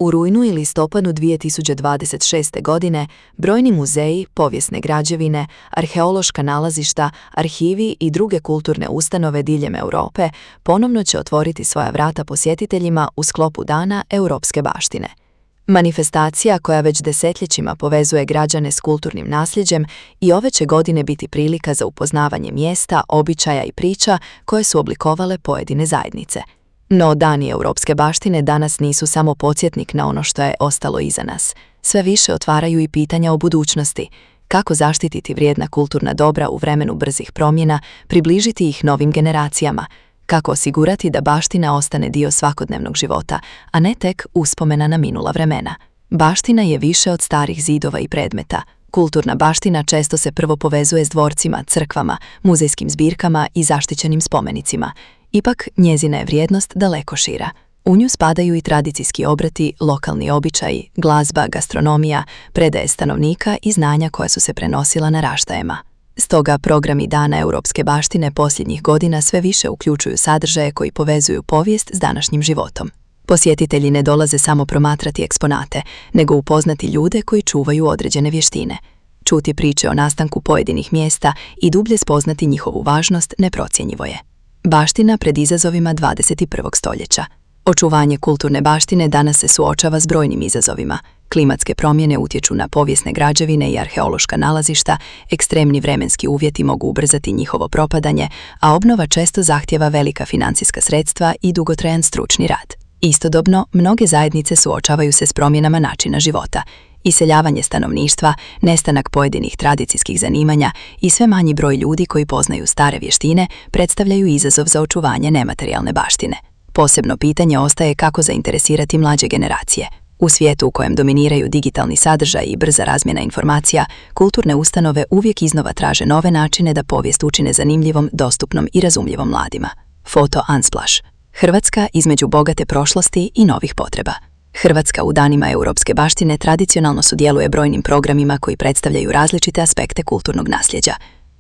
U rujnu i listopadu 2026. godine brojni muzeji, povijesne građevine, arheološka nalazišta, arhivi i druge kulturne ustanove diljem Europe ponovno će otvoriti svoja vrata posjetiteljima u sklopu Dana europske baštine. Manifestacija koja već desetljećima povezuje građane s kulturnim nasljeđem i ove će godine biti prilika za upoznavanje mjesta, običaja i priča koje su oblikovale pojedine zajednice. No Dani europske baštine danas nisu samo podsjetnik na ono što je ostalo iza nas. Sve više otvaraju i pitanja o budućnosti. Kako zaštititi vrijedna kulturna dobra u vremenu brzih promjena, približiti ih novim generacijama? Kako osigurati da baština ostane dio svakodnevnog života, a ne tek uspomena na minula vremena? Baština je više od starih zidova i predmeta. Kulturna baština često se prvo povezuje s dvorcima, crkvama, muzejskim zbirkama i zaštićenim spomenicima. Ipak, njezina je vrijednost daleko šira. U nju spadaju i tradicijski obrati, lokalni običaji, glazba, gastronomija, predaje stanovnika i znanja koja su se prenosila naraštajima. Stoga programi Dana europske baštine posljednjih godina sve više uključuju sadržaje koji povezuju povijest s današnjim životom. Posjetitelji ne dolaze samo promatrati eksponate, nego upoznati ljude koji čuvaju određene vještine. Čuti priče o nastanku pojedinih mjesta i dublje spoznati njihovu važnost neprocjenjivo je. Baština pred izazovima 21. stoljeća. Očuvanje kulturne baštine danas se suočava s brojnim izazovima. Klimatske promjene utječu na povijesne građevine i arheološka nalazišta, ekstremni vremenski uvjeti mogu ubrzati njihovo propadanje, a obnova često zahtjeva velika financijska sredstva i dugotrajan stručni rad. Istodobno, mnoge zajednice suočavaju se s promjenama načina života. Iseljavanje stanovništva, nestanak pojedinih tradicijskih zanimanja i sve manji broj ljudi koji poznaju stare vještine predstavljaju izazov za očuvanje nematerijalne baštine. Posebno pitanje ostaje kako zainteresirati mlađe generacije. U svijetu u kojem dominiraju digitalni sadržaj i brza razmjena informacija, kulturne ustanove uvijek iznova traže nove načine da povijest učine zanimljivom, dostupnom i razumljivom mladima. Foto Unsplash. Hrvatska između bogate prošlosti i novih potreba. Hrvatska u Danima europske baštine tradicionalno sudjeluje brojnim programima koji predstavljaju različite aspekte kulturnog nasljeđa.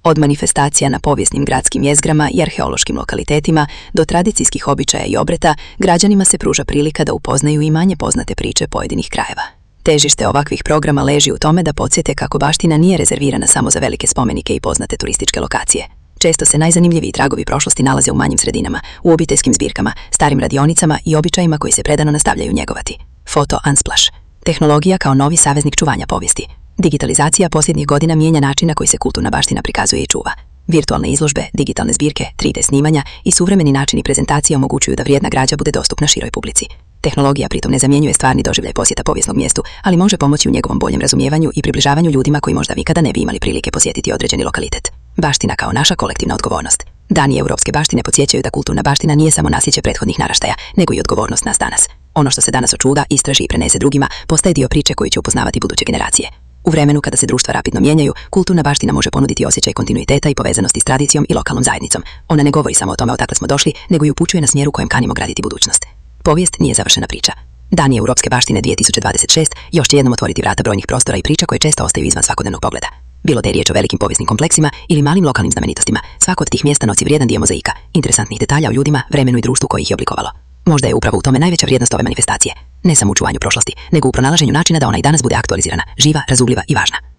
Od manifestacija na povijesnim gradskim jezgrama i arheološkim lokalitetima do tradicijskih običaja i obreta, građanima se pruža prilika da upoznaju i manje poznate priče pojedinih krajeva. Težište ovakvih programa leži u tome da podsjete kako baština nije rezervirana samo za velike spomenike i poznate turističke lokacije. Često se najzanimljiviji tragovi prošlosti nalaze u manjim sredinama, u obiteljskim zbirkama, starim radionicama i običajima koji se predano nastavljaju njegovati. Foto Unsplash. Tehnologija kao novi saveznik čuvanja povijesti. Digitalizacija posljednjih godina mijenja način na koji se kulturna baština prikazuje i čuva. Virtualne izložbe, digitalne zbirke, 3D snimanja i suvremeni načini prezentacije omogućuju da vrijedna građa bude dostupna široj publici. Tehnologija pritom ne zamjenjuje stvarni doživljaj posjeta povijesnog mjestu, ali može pomoći u njegovom boljem razumijevanju i približavanju ljudima koji možda nikada ne bi imali prilike posjetiti određeni lokalitet. Baština kao naša kolektivna odgovornost. Dani europske baštine podsjećaju da kulturna baština nije samo nasljeđe prethodnih naraštaja, nego i odgovornost nas danas. Ono što se danas očuva, istraži i prenese drugima, postaje dio priče koju će upoznavati buduće generacije. U vremenu kada se društva rapidno mijenjaju, kulturna baština može ponuditi osjećaj kontinuiteta i povezanosti s tradicijom i lokalnom zajednicom. Ona ne govori samo o tome odakle smo došli, nego i upućuje na smjeru kojem kanimo graditi budućnost. Povijest nije završena priča. Dani europske baštine 2026 još će jednom otvoriti vrata brojnih prostora i priča koje često ostaju izvan svakodnevnog pogleda. Bilo da je riječ o velikim povijesnim kompleksima ili malim lokalnim znamenitostima, svako od tih mjesta nosi vrijedan dio mozaika, interesantnih detalja o ljudima, vremenu i društvu koji ih je oblikovalo. Možda je upravo u tome najveća vrijednost ove manifestacije, ne samo u čuvanju prošlosti, nego u pronalaženju načina da ona i danas bude aktualizirana, živa, razumljiva i važna.